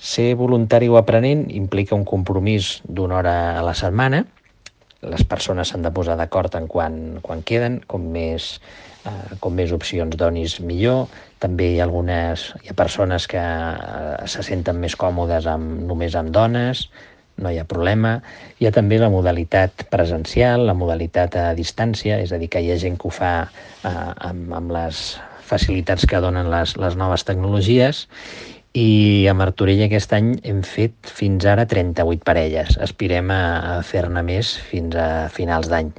Ser voluntari o aprenent implica un compromís d'una hora a la setmana. Les persones s'han de posar d'acord en quan queden, com més opcions donis millor. També hi ha persones que se senten més còmodes només amb dones, no hi ha problema. Hi ha també la modalitat presencial, la modalitat a distància, és a dir, que hi ha gent que ho fa amb les facilitats que donen les noves tecnologies. I a Martorell aquest any hem fet fins ara 38 parelles. Aspirem a fer-ne més fins a finals d'any.